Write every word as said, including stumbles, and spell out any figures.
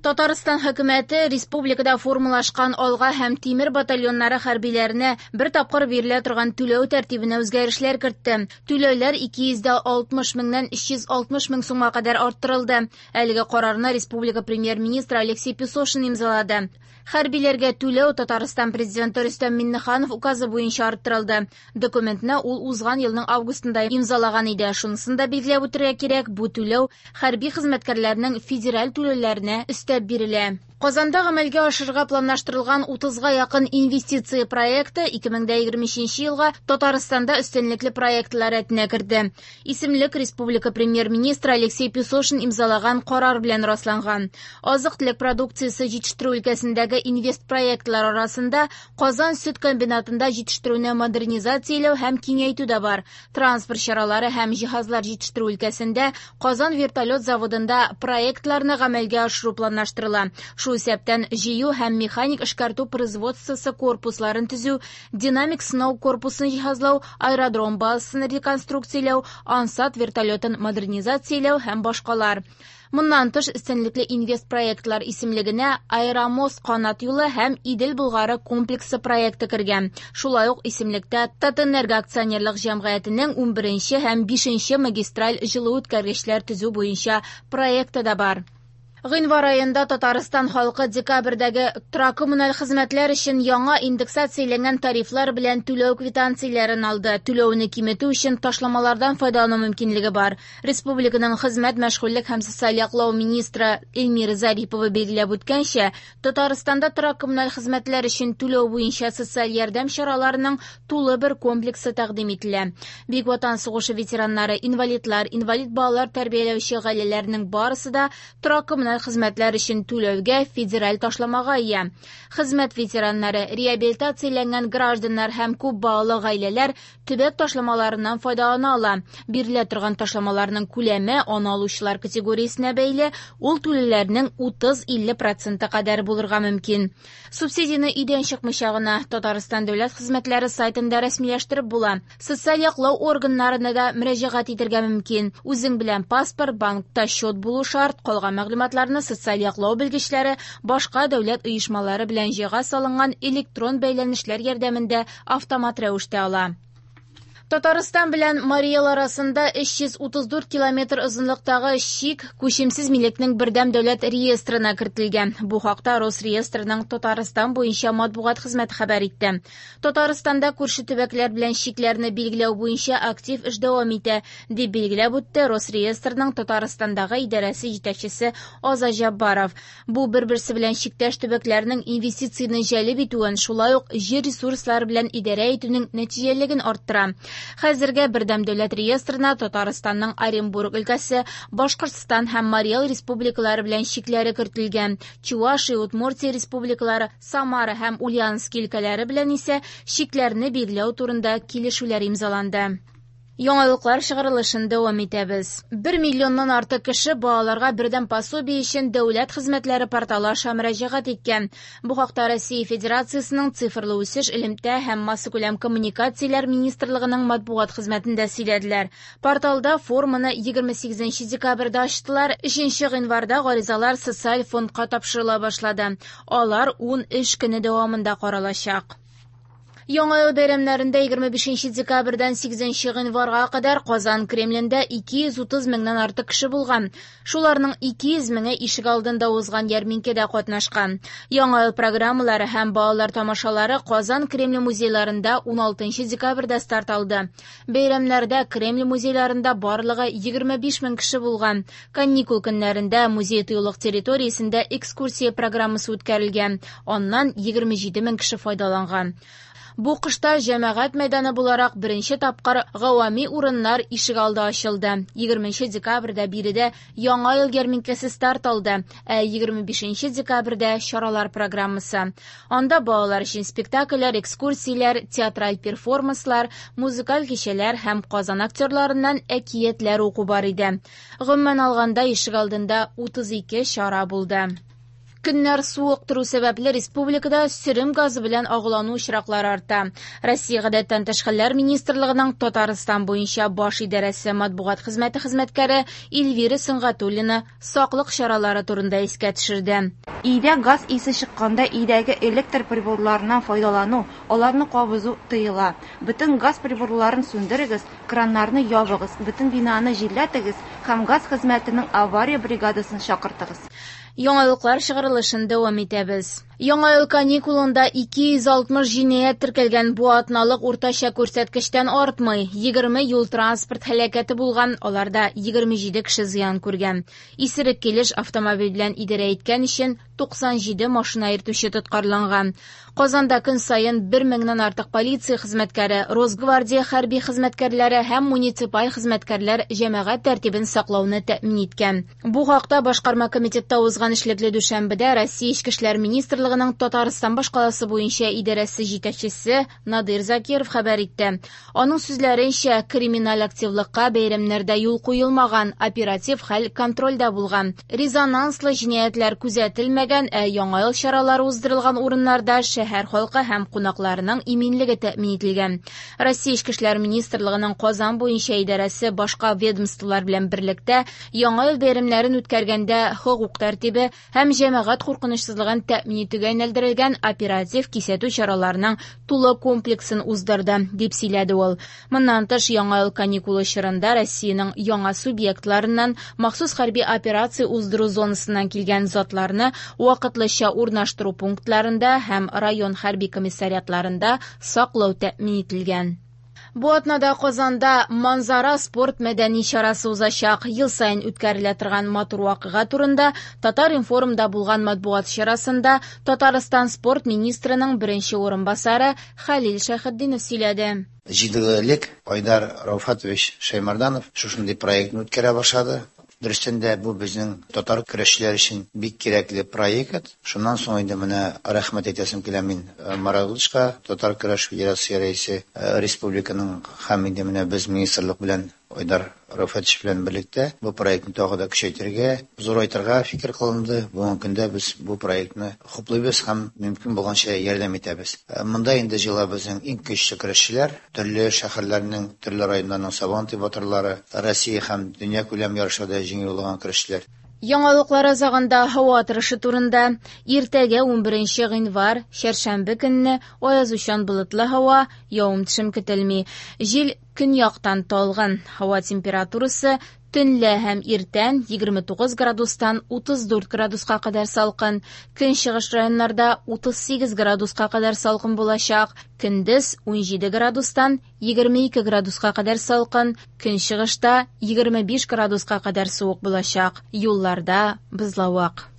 Татарстан хөкүмәте республикада формалашкан Алга һәм Тимер батальоннары хәрбиләренә бер тапкыр бирелә торган түләү тәртибенә үзгәрешләр кертте. Түләүләр ике йөз алтмыш меңнән өч йөз алтмыш мең сумга кадәр арттырылды. Әлеге карарны республика премьер-министры Алексей Песошин имзалады. Хәрбиләргә түләү Татарстан президенты Рөстәм Миңнеханов указы буенча арттырылды. Документны ул узган елның августында имзалаган иде. Шунысын да билгеләп үтәргә кирәк, бу түләү хәрби хезмәткәрләрнең федераль түләүләренә өстәп бирелә. Казанда гамәлгә ашырырга планлаштырылган утызга якын инвестиция проекты ике мең егерме өченче елга Татарстанда өстенлекле проектлар рәтенә керде. Исемлек республика премьер-министры Алексей Песошин имзалаган карар белән расланган. Азык-төлек продукциясе җитештерү өлкәсендәге инвест проектлар арасында Казан сөт комбинатында җитештерүне модернизацияләү һәм киңәйтү дә бар. Транспорт чаралары һәм җиһазлар җитештерү өлкәсендә Казан вертолет заводында проектларны гамәлгә ашыру планлаштырыла. Шул исәптән җыю һәм механик эшкәртү производствосы корпусларын төзү, динамик сынау корпусын җиһазлау, аэродром базасын реконструкцияләү, Ансат вертолетын модернизацияләү һәм башкалар. Моннан тыш өстенлекле инвест проектлар исемлегенә Аэромост канат юлы һәм Идел Болгары комплексы проекты кергән. Шулай ук исемлектә Татэнерго акционерлык җәмгыятенең унберенче һәм бишенче магистраль җылы үткәргечләр төзү буенча проекты да бар. Гыйнвар аенда Татарстан халкы декабрьдәге торак коммуналь хезмәтләр өчен яңа индексацияләнгән тарифлар белән түләү квитанцияләрен алды. Түләүне киметү өчен ташламалардан файдалану мөмкинлеге бар. Республиканың хезмәт, мәшгульлек һәм социаль яклау министры Эльмира Зарипова билгеләп үткәнчә, Татарстанда торак коммуналь хезмәтләр өчен түләү буенча социаль ярдәм чараларының тулы бер комплексы тәкъдим ителә. Бөек Ватан сугышы ветераннары, инвалидлар, инвалид балалар тәрбияләүче гаиләләрнең барысы да торак коммуналь хезмәтләр өчен түләүгә федераль ташламага ия. Хезмәт ветераннары, реабилитацияләнгән гражданнар һәм күп балалы гаиләләр төбәк ташламаларыннан файдалана ала. Бирелә торган ташламаларның күләме аны алучылар категориясенә бәйле, ул түләүләрнең утыз-илле проценты кадәр булырга мөмкин. Субсидияне өйдән чыкмыйча гына Татарстан дәүләт хезмәтләре сайтында рәсмиләштереп була. Социаль яклау органнарына да мөрәҗәгать итәргә мөмкин. Үзең белән паспорт, банкта счет булу шарт, калган мәгълүматларны социаль яклау белгечләре башка дәүләт оешмалары белән җайга салынган электрон бәйләнешләр ярдәмендә автомат рәвештә ала. Татарстан белән Марий Эл арасында өч йөз утыз дүрт километр озынлыктагы чик күчемсез милекнең бердәм дәүләт реестрына кертелгән. Бу хакта Росреестрның Татарстан буенча матбугат хезмәте хәбәр итте. Татарстанда күрше төбәкләр белән чикләрне билгеләү буенча актив эш дәвам итә, дип билгеләп үтте Росреестрның Татарстандагы идарәсе җитәкчесе Азат Җаббаров. Бу бер-берсе белән чиктәш төбәкләрнең инвестицияне җәлеп итүен, шулай ук җир ресурслары белән идарә итүнең нәтиҗәлелеген арттыра. Хәзергә бердәм дәүләт реестрына Татарстанның Оренбург өлкәсе, Башкортстан һәм Марий Эл республикалары белән чикләре кертелгән. Чувашия, Удмуртия республикалары, Самара һәм Ульяновск өлкәләре белән исә чикләрне билгеләү турында килешүләр имзаланды. Яңалыклар чыгарылышын дәвам итәбез. Бер миллионнан артык кеше балаларга бердәм пособие өчен дәүләт хезмәтләре порталы аша мөрәҗәгать иткән. Бу хакта Россия Федерациясенең цифрлы үсеш, элемтә һәм массакүләм коммуникацияләр министрлыгының матбугат хезмәтендә сөйләделәр. Порталда форманы егерме сигезенче декабрьдә ачтылар. Өченче гыйнварда гаризалар социаль фондка тапшырыла башлады. Алар ун эш көне дәвамында каралачак. Яңа ел бәйрәмнәрендә егерме бишенче декабрьдән сигезенче гыйнварга кадәр Казан Кремлендә ике йөз утыз меңнән артык кеше булган. Шуларның ике йөз меңе ишек алдында узган ярминкәдә катнашкан. Яңа ел программалары һәм балалар тамашалары Казан Кремль музейларында уналтынчы декабрьдә старт алды. Бәйрәмнәрдә Кремль музейларында барлыгы егерме биш мең кеше булган. Каникул көннәрендә музей тыюлык территориясендә экскурсия программасы үткәрелгән. Аннан егерме җиде мең кеше файдаланган. Бу кышта җәмәгать мәйданы буларак беренче тапкыр гавами урыннар ишек алды ачылды. Егерменче декабрьдә биредә Яңа ел ярминкәсе старт алды, ә егерме бишенче декабрьдә чаралар программасы. Анда балалар өчен спектакльләр, экскурсияләр, театраль перформанслар, музыкаль кичәләр һәм Казан актерларыннан әкиятләр уку бар иде. Гомумән алганда ишек алдында утыз ике чара булды. Көннәр суык тору сәбәпле республикада сөрем газы белән агулану очраклары арта. Россия Гадәттән тыш хәлләр министрлыгының Татарстан буенча баш идарәсе матбугат хезмәте хезмәткәре Эльвира Сөнгатуллина саклык чаралары турында искә төшерде. Өйдә газ исе чыкканда өйдәге электр приборларыннан файдалану, аларны кабызу тыела. Бөтен газ приборларын сүндерегез, краннарны ябыгыз, бөтен бинаны җилләтегез һәм газ хезмәтенең авария бригадасын чакыртыгыз. Яңалыклар чыгарылышын дәвам итәбез. Яңа ел каникулында ике йөз алтмыш җинаять теркәлгән, бу атналык уртача күрсәткечтән артмый. Егерме юл-транспорт һәлакәте булган, аларда егерме җиде кеше зыян күргән. Исерек килеш автомобиль белән идарә иткән өчен туксан җиде машина йөртүче тоткарланган. Казанда көн саен бер меңнән артык полиция хезмәткәре, Росгвардия хәрби хезмәткәрләре һәм муниципаль хезмәткәрләр җәмәгать тәртибен саклауны тәэмин иткән. Бу хакта башкарма комитетта узган эшлекле дүшәмбедә Россия Эчке эшләр министрлыгының Татарстан башкаласы буенча идарәсе җитәкчесе Надир Закиров хәбәр итте. Аның сүзләренчә, криминаль активлыкка бәйрәмнәрдә юл куелмаган, оператив хәл контрольдә булган. Резонанслы җинаятьләр күзәтелмәгән, ә яңа ел чаралары уздырылган урыннарда шәһәр халкы һәм кунакларының иминлеге тәэмин ителгән. Россия Эчке эшләр министрлыгының Казан буенча идарәсе башка ведомстволар белән берлектә яңа ел бәйрәмнәрен үткәргәндә хокук тәртибе һәм җәмәгать куркынычсызлыгын тәэмин итүгә юнәлдерелгән оператив кисәтү чараларының тулы комплексын уздырды, дип сөйләде ул. Моннан тыш, яңа ел каникулы чорында Россиянең яңа субъектларыннан махсус хәрби операция уздыру зонасыннан килгән затларны вакытлыча урнаштыру пунктларында һәм район хәрби комиссариатларында саклау тәэмин ителгән. Бу атнада Казанда Манзара спорт мәдәни чарасы узачак. Ел саен үткәрелә торган матур вакыйга турында Татар-информда булган матбугат чарасында Татарстан спорт министрының беренче урынбасары Хәлил Шәйхетдинов сөйләде. Җиде ел элек Айдар Рауфатович Шаймарданов шушындый проектны үткәрә башлады. Дөрестән дә бу безнең татар көрәшчеләр өчен бик кирәкле проект. Шуннан соң инде менә рәхмәт әйтәсем килә мин Марат Ильичка, Татар көрәш федерациясе рәисе, республиканың һәм инде менә без министрлык белән Айдар Рауфатович белән берлектә бу проектны тагы да көчәйтергә, зурайтырга фикер кылынды. Бүгенге көндә без бу проектны хуплыйбыз һәм мөмкин булганча ярдәм итәбез. Монда инде җыела безнең иң көчле көрәшчеләр, төрле шәһәрләрнең, төрле районнарның Сабантуй батырлары, Россия һәм дөнья күләм ярышларда җиңү яулаган көрәшчеләр. Яңалыклар азагында һава торышы турында. Иртәгә унберенче гыйнвар, чәршәмбе көнне аязучан болытлы һава, явым-төшем көтелми. Җил көньяктан талгын. Һава температурасы төнлә һәм иртән егерме тугыз градустан утыз дүрт градуска кадәр салкын. Көнчыгыш районнарда утыз сигез градуска кадәр салкын булачак. Көндез унҗиде градустан егерме ике градуска кадәр салкын. Көнчыгышта егерме биш градуска кадәр суык булачак. Юлларда бозлавык.